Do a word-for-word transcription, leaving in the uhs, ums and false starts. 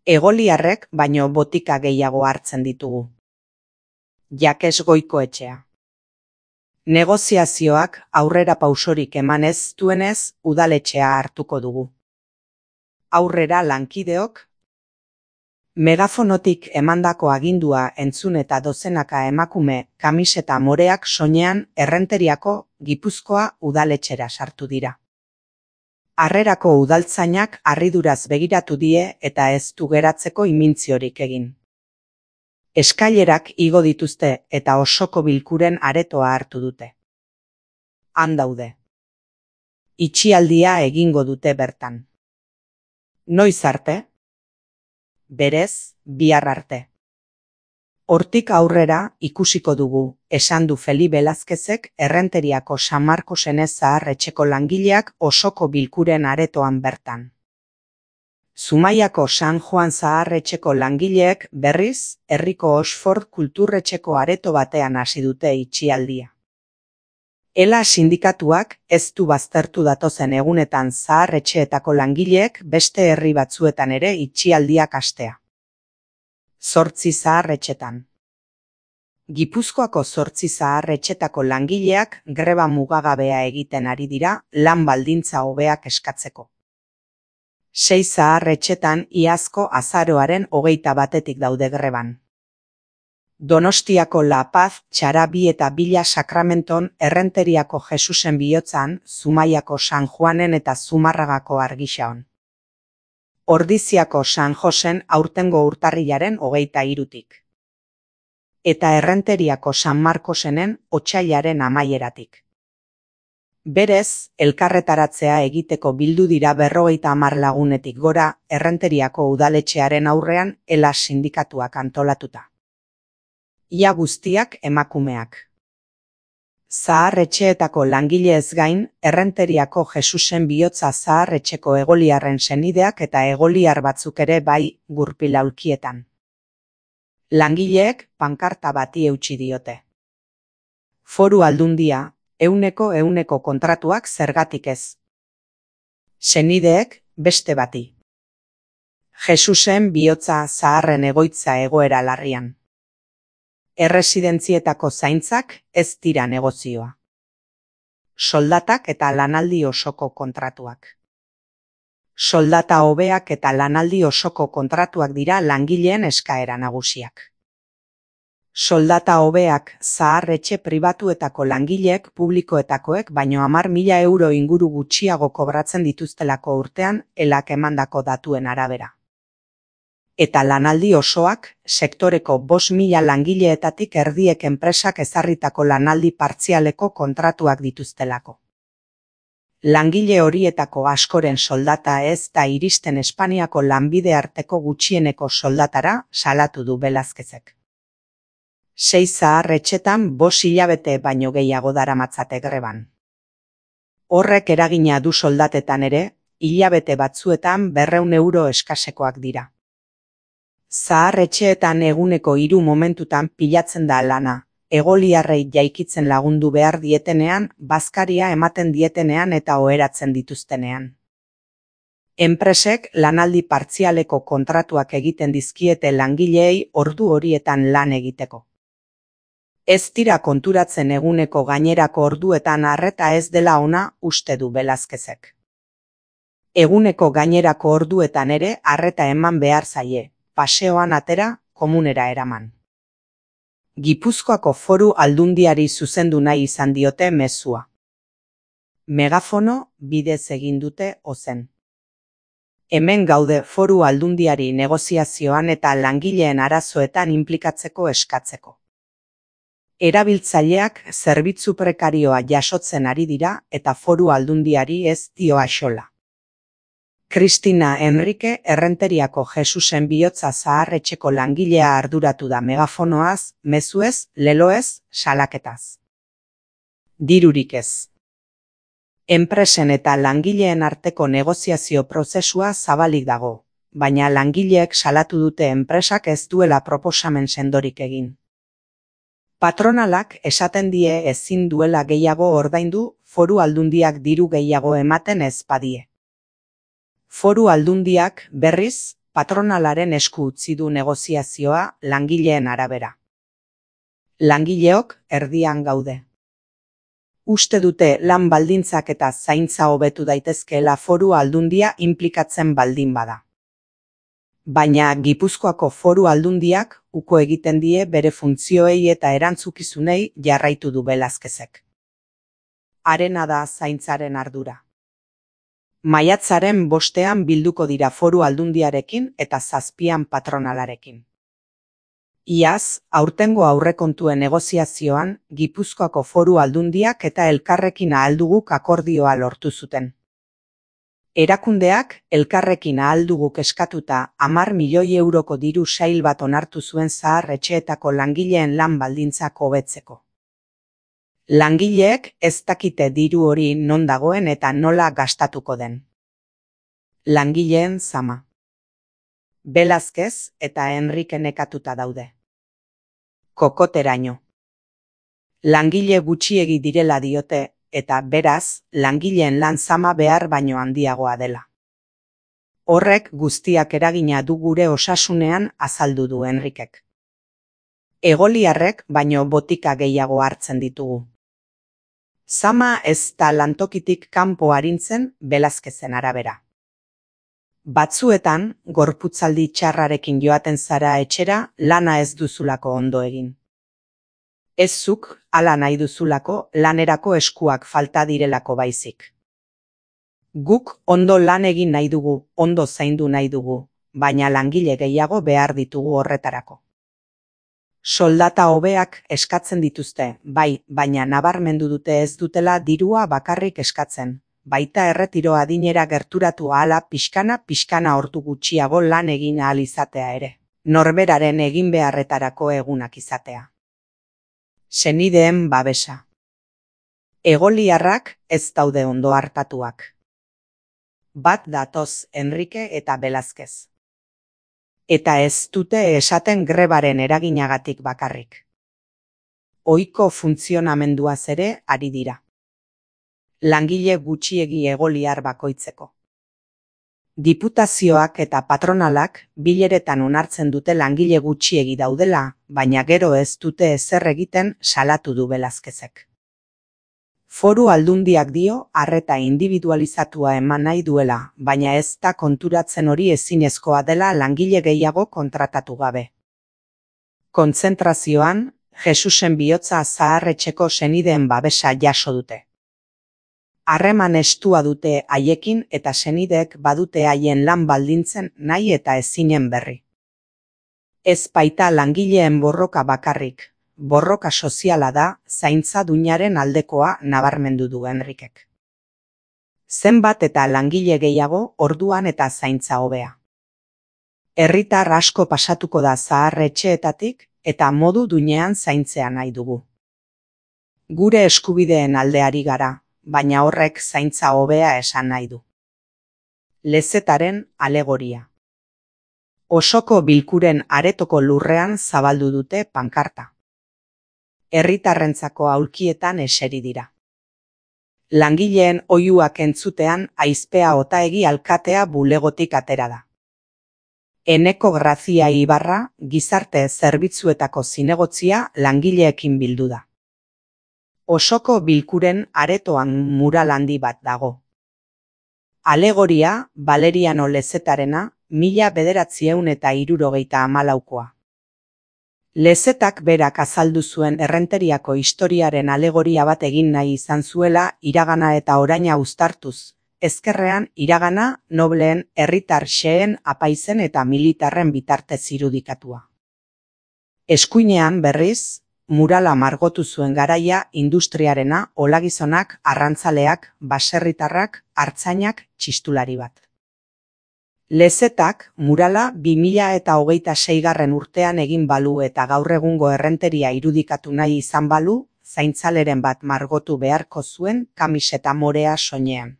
Egoliarrek baino botika gehiago hartzen ditugu. Jakes Goikoetxea. Negoziazioak aurrera pausorik eman ez duenez, udaletxea hartuko dugu. Aurrera lankideok. Megafonotik emandako agindua entzun eta dozenaka emakume kamiseta moreak soinean Errenteriako Gipuzkoa udaletxera sartu dira. Harrerako udaltzainak harriduraz begiratu die eta ez du geratzeko imintziorik egin. Eskailerak igo dituzte eta osoko bilkuren aretoa hartu dute. Han daude. Itxialdia egingo dute bertan. Noiz arte? Berez, bihar arte. Hortik aurrera ikusiko dugu, esan du Feli Belazkezek Errenteriako San Markosen zahar etxeko langileak osoko bilkuren aretoan bertan. Zumaiako San Juan zahar etxeko langileek berriz, herriko Oxford kulturretxeko areto batean hasi dute itxialdia. Ela sindikatuak ez du baztertu datozen egunetan zahar etxeetako langileek beste herri batzuetan ere itxialdiak hastea. Zortzi zahar etxetan. Gipuzkoako zortzi zahar etxetako langileak greba mugagabea egiten ari dira lan baldintza hobeak eskatzeko. Sei zahar etxetan iazko azaroaren hogeita batetik daude greban. Donostiako La Paz, Txarabi eta Bila Sakramenton, Errenteriako Jesusen Bihotzan, Zumaiako San Juanen eta Zumarragako Argixaon. Ordiziako San Josen aurtengo urtarrilaren hogeita hirutik. Eta Errenteriako San Markosenen otsailaren amaieratik. Berez, elkarretaratzea egiteko bildu dira berrogeita hamar lagunetik gora Errenteriako udaletxearen aurrean Ela sindikatuak antolatuta. Ia guztiak emakumeak. Zahar etxeetako langileez gain, Errenteriako Jesusen Bihotza zahar etxeko egoliarren senideak eta egoliar batzuk ere bai gurpilaulkietan. Langileek pankarta bati eutsi diote. Foru Aldundia, euneko euneko kontratuak zergatik ez. Senideek beste bati. Jesusen Bihotza zaharren egoitza egoera larrian. Erresidentzietako zaintzak ez dira negozioa. Soldatak eta lanaldi osoko kontratuak. Soldata hobeak eta lanaldi osoko kontratuak dira langileen eskaera nagusiak. Soldata hobeak zahar etxe pribatuetako langileek publikoetakoek baino hamar mila euro inguru gutxiago kobratzen dituztelako urtean Elak emandako datuen arabera. Eta lanaldi osoak, sektoreko bost mila langileetatik erdiek enpresak ezarritako lanaldi partzialeko kontratuak dituztelako. Langile horietako askoren soldata ez da iristen Espainiako lanbide arteko gutxieneko soldatara salatu du Belazkezek. Sei zahar etxetan bost hilabete baino gehiago daramatzate greban. Horrek eragina du soldatetan ere, hilabete batzuetan berrehun euro eskasekoak dira. Zahar etxeetan eguneko hiru momentutan pilatzen da lana, egoliarrei jaikitzen lagundu behar dietenean, bazkaria ematen dietenean eta oheratzen dituztenean. Enpresek lanaldi partzialeko kontratuak egiten dizkiete langileei ordu horietan lan egiteko. Ez dira konturatzen eguneko gainerako orduetan arreta ez dela ona uste du Belazkezek. Eguneko gainerako orduetan ere arreta eman behar zaie. Paseoan atera, komunera eraman. Gipuzkoako Foru Aldundiari zuzendu nahi izan diote mezua. Megafono bidez egin dute ozen. Hemen gaude Foru Aldundiari negoziazioan eta langileen arazoetan inplikatzeko eskatzeko. Erabiltzaileak zerbitzu prekarioa jasotzen ari dira eta Foru Aldundiari ez dio axola. Kristina Enrique Errenteriako Jesusen Bihotza zahar etxeko langilea arduratu da megafonoaz, mezuez, leloez, salaketaz. Dirurik ez. Enpresen eta langileen arteko negoziazio prozesua zabalik dago, baina langileek salatu dute enpresak ez duela proposamen sendorik egin. Patronalak esaten die ezin duela gehiago ordaindu Foru Aldundiak diru gehiago ematen ez badie. Foru Aldundiak berriz patronalaren esku utzi du negoziazioa langileen arabera. Langileok erdian gaude. Uste dute lan baldintzak eta zaintza hobetu daitezkeela Foru Aldundia inplikatzen baldin bada. Baina Gipuzkoako Foru Aldundiak uko egiten die bere funtzioei eta erantzukizunei jarraitu du Velazquezek. Harena da zaintzaren ardura. Maiatzaren bostean bilduko dira Foru Aldundiarekin eta zazpian patronalarekin. Iaz, aurtengo aurrekontuen negoziazioan, Gipuzkoako Foru Aldundiak eta elkarrekin ahalduguk akordioa lortu zuten. Erakundeak elkarrekin ahalduguk eskatuta hamar milioi euroko diru sail bat onartu zuen zahar etxeetako langileen lan baldintzak hobetzeko. Langileek ez dakite diru hori non dagoen eta nola gastatuko den. Langileen zama. Velazquez eta Enrique nekatuta daude. Kokoteraino. Langile gutxiegi direla diote, eta beraz, langileen lan zama behar baino handiagoa dela. Horrek guztiak eragina du gure osasunean azaldu du Enrikek. Egoliarrek baino botika gehiago hartzen ditugu. Zama ez da lantokitik kanpo arintzen Velazquezen arabera. Batzuetan, gorputzaldi txarrarekin joaten zara etxera lana ez duzulako ondo egin. Ez zuk, hala nahi duzulako, lanerako eskuak falta direlako baizik. Guk ondo lan egin nahi dugu, ondo zaindu nahi dugu, baina langile gehiago behar ditugu horretarako. Soldata hobeak eskatzen dituzte, bai, baina nabarmendu dute ez dutela dirua bakarrik eskatzen. Baita erretiro adinera gerturatu ahala pixkana-pixkana ordu gutxiago lan egin ahal izatea ere. Norberaren egin beharretarako egunak izatea. Senideen babesa. Egoliarrak ez daude ondo hartatuak. Bat datoz Enrique eta Velazquez. Eta ez dute esaten grebaren eraginagatik bakarrik. Ohiko funtzionamenduaz ere ari dira. Langile gutxiegi egoliar bakoitzeko. Diputazioak eta patronalak bileretan onartzen dute langile gutxiegi daudela, baina gero ez dute ezer egiten salatu du Velazquezek. Foru Aldundiak dio arreta individualizatua eman nahi duela, baina ez da konturatzen hori ezinezkoa dela langile gehiago kontratatu gabe. Kontzentrazioan, Jesusen bihotza zaharretxeko senideen babesa jaso dute. Harreman estua dute haiekin eta senideek badute haien lan baldintzen nahi eta ezinen berri. Ez baita langileen borroka bakarrik, borroka soziala da zaintza duinaren aldekoa nabarmendu du Enrikek. Zenbat eta langile gehiago orduan eta zaintza hobea. Herritar asko pasatuko da zahar etxeetatik eta modu duinean zaintzea nahi dugu. Gure eskubideen aldeari gara, baina horrek zaintza hobea esan nahi du. Lezetaren alegoria. Osoko bilkuren aretoko lurrean zabaldu dute pankarta. Herritarrentzako aulkietan eseri dira. Langileen oihuak entzutean aizpea otaegi alkatea bulegotik atera da. Eneko Grazia Ibarra gizarte zerbitzuetako zinegotzia langileekin bildu da. Osoko bilkuren aretoan mural handi bat dago. Alegoria Valeriano Lezetarena mila bederatziehun eta hirurogeita hamalaukoa. Lezetak berak azaldu zuen errenteriako historiaren alegoria bat egin nahi izan zuela iragana eta oraina uztartuz, ezkerrean iragana nobleen, herritar xeheen, apaizen eta militarren bitartez irudikatua. Eskuinean berriz, murala margotu zuen garaia industriarena, olagizonak, arrantzaleak, baserritarrak, artzainak, txistulari bat. Lezetak murala bi mila eta hogeita seigarren urtean egin balu eta gaur egungo errenteria irudikatu nahi izan balu, zaintzaleren bat margotu beharko zuen kamiseta morea soinean.